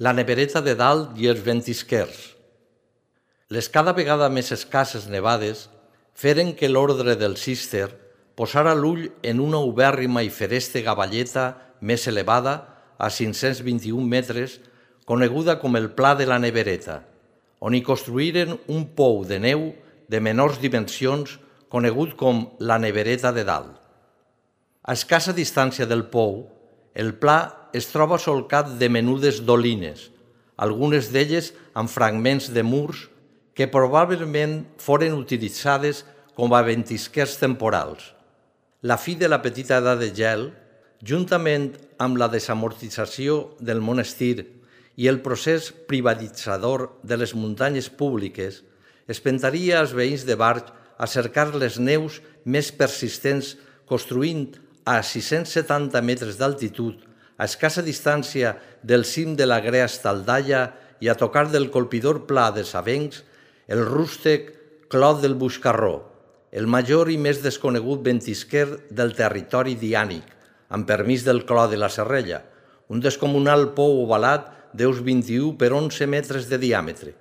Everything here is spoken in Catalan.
La nevereta de dalt i els ventisquers. Les cada vegada més escasses nevades feren que l'ordre del Cister posara l'ull en una ubèrrima i feresta valleta més elevada, a 521 metres, coneguda com el Pla de la Nevereta, on hi construïren un pou de neu de menors dimensions conegut com la Nevereta de Dalt. A escassa distància del pou, el pla es troba solcat de menudes dolines, algunes d'elles amb fragments de murs que probablement foren utilitzades com a ventisquers temporals. La fi de la petita edat de gel, juntament amb la desamortització del monestir i el procés privatitzador de les muntanyes públiques, espentaria als veïns de Barx a cercar les neus més persistents construint a 670 metres d'altitud, a escassa distància del cim de la Grea Estaldalla i a tocar del colpidor pla de Savencs, el rústec Clot del Buscarró, el major i més desconegut ventisquer del territori diànic, amb permís del Clot de la Serrella, un descomunal pou ovalat d'uns 21 per 11 metres de diàmetre.